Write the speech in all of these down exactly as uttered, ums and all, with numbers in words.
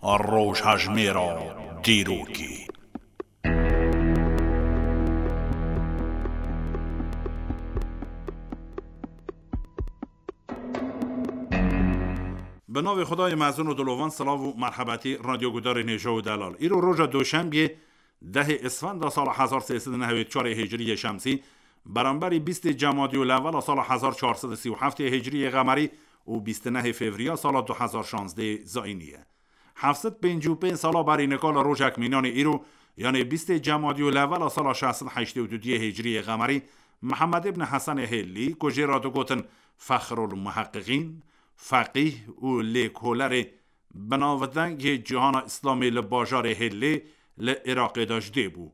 Rojhejmêra dîrokê. Bi navê Xwedayê mezin û dilovan, silav û merhebetî radyogudarên hêja û delal. Îro roja doşembiyê, dehê Isfenda sala hezar sê sed û nehewê çarê hicriyê şemsî, beramberî bîstê Cemadî û Lewela sala hezar çar sed û sî û heftê hicriyê qemerî û bîst û nehê Fevriya sala du hezar şazdê zayînî ye. Heft sed pêncî û pênc sala berî nika li rojek mînanê îro, yanê bîstê Cemadî û Lewela sala şeş sed heştê û duyê hicriyê qemerî, Mihemed îbn Hesenê Hêlî, ku jê re digotin Fexrul Muheqiqîn, feqîh û lêkolerê binavdeng yê cîhana Îslamê li bajarê Hêlê li Iraqê de ji dê bû.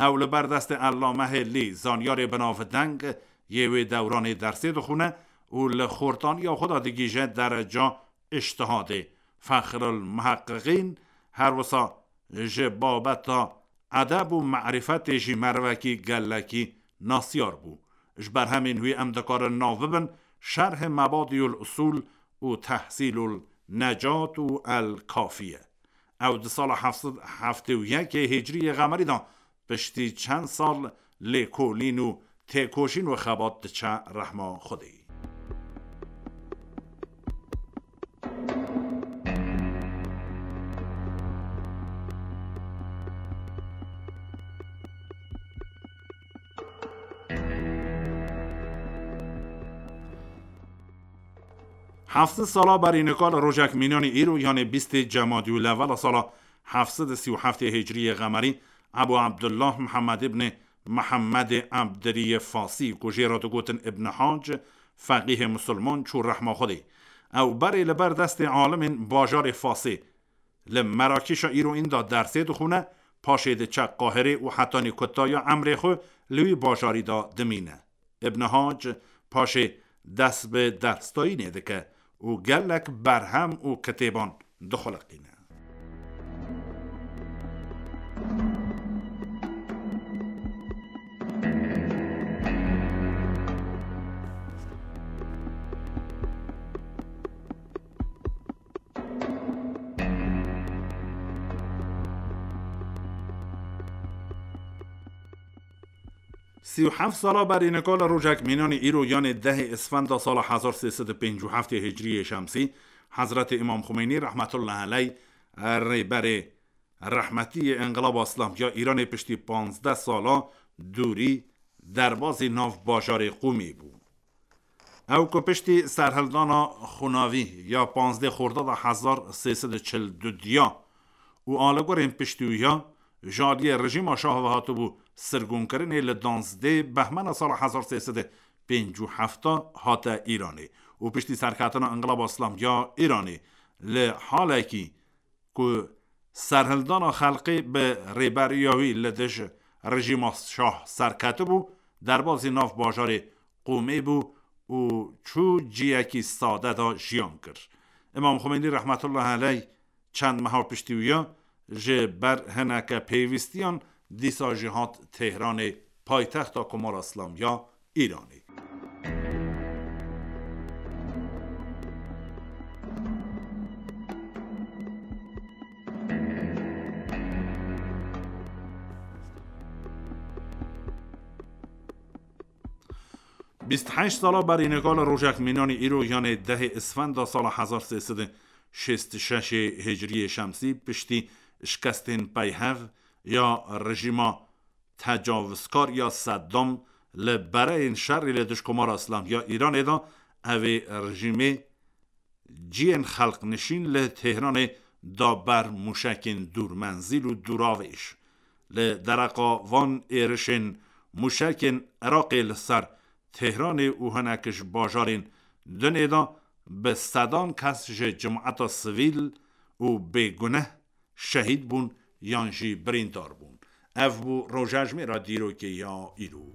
Ew li ber destê Ellame Hêlî, zanyarê binavdeng yê wê dewranê, dersê dixwine û li xortaniya xwe de digihîje dereca îctihadê. Fexrul Muheqiqîn her wisa ji babeta edeb û merîfetê jî merivekî gelekî nasyar bû. Ji berhemên wî em dikarin nav bibin Şerhê Mebadîul Usûl û Tehsîlul Necat û El Kafiye. Ew di sala heft sed heftê û yekê hicriyê qemerî de piştî çend sal lêkolîn û têkoşîn û xebat diçe rehma Xwedê. Heft sed sala berî nika li rojek mînanî îro, yanê bîstê Cemadî û Lewela sala heft sed û sî û heftê hicriyê qemerî, Ebu Abdullah Mihemed îbnê Mihemedê Ebdiriyê Fasî, ku jê re digotin Îbn Hac, feqîhê misilman, çû rehma Xwedê. Ew berê li ber destê alimên bajarê Fasê li Merakîşa îro înda dersê dixwine, paşê diçe Qahirê û hetanî kutaya emrê xwe li wî bajarî de dimîne. Îbn Hac paşê dest bi dersdayînê dike û gelek berhem û kitêban dixuliqîne. Sî û heft sala berî nika li rojek mînanî îro, yanê dehê Isfenda sala hezar sê sed û pêncî û heftê hicriyê şemsî, Hezretê Îmam Xumeynî rehmetullah eleyh, rêberê rehmetî yê Înqilaba Îslamî ya Îranê, piştî panzdeh sala dûrî derbazî nav bajarê Qûmê bû. Ew ku piştî serhildana xunavî ya panzdeh Xordada hezar sê sed û çil û du diya û aligorên piştî wî ya ji aliyê rejîma şah ve hatibû sirgûnkirinê, li danzdeh Behmena sala hezar sê sed û pêncî û heft hate Îranê û piştî serketina Înqilaba Îslamî ya Îranê, li halekî ku serhildana xelkê bi rêberiya wî li dij rejîma şah serketibû, derbazî nav bajarê Qûmê bû û çû ciyekî sade de jiyan kir. Îmam Xumeynî rehmetullah eleyh çend meha piştî wî ya ji ber hineke pêwîstiyan dîsa jî hat Tehranê, paytexta Komara Îslamî ya Îranê. Bîst heşt sala berî nika li rojek mînanî îro, yanê dehê Isfenda sala hezar sê sed û şêst û şeş hicriyê şemsî, piştî şikestên peyhev ya rejîma tecavizkar ya Seddam li bereyên şerê li dij Komara Îslamî ya Îranê de, ev ê rejîmê ciyên xelknişîn li Tehranê da ber mûşekên dûrmenzîl û dûravêj. Li dereqa van êrişên mûşekên Iraqê li ser Tehranê û hinek ji bajarên dinê de bi sedan kes ji cemaeta sivîl û bêguneh şehîd bûn yan jî birîndar bûn. Ev bû rojejmêra dîrokê ya îro.